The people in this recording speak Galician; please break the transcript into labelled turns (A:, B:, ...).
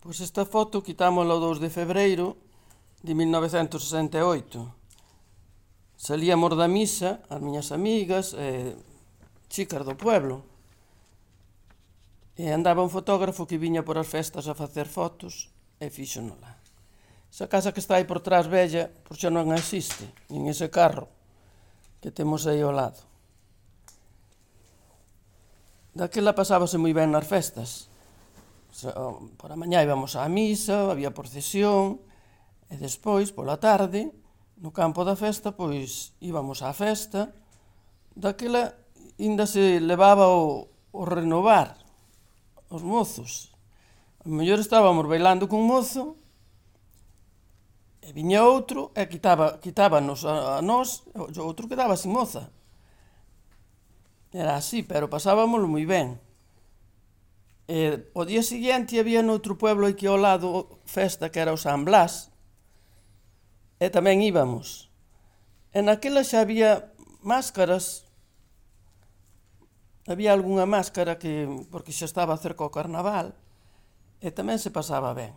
A: Pois esta foto quitámola o 2 de febreiro de 1968. Salíamos da misa, as miñas amigas, chicas do pueblo, e andaba un fotógrafo que viña por as festas a facer fotos e fíxonola. Esa casa que está aí por trás vella, por xa non existe, nin ese carro que temos aí ao lado. Daquela pasábase moi ben nas festas. Por a mañá íbamos á misa, había procesión, e despois, pola tarde, no campo da festa, pois íbamos á festa. Daquela ainda se levaba o renovar, os mozos. A mellor estábamos bailando cun mozo, e viña outro, e quitábanos a nós, o outro quedaba sin moza. Era así, pero pasábamoslo moi ben. E o día seguinte había noutro pueblo aquí ao lado festa que era o San Blas, e tamén íbamos. E naquela xa había máscaras, había algunha máscara porque xa estaba cerca o carnaval, e tamén se pasaba ben.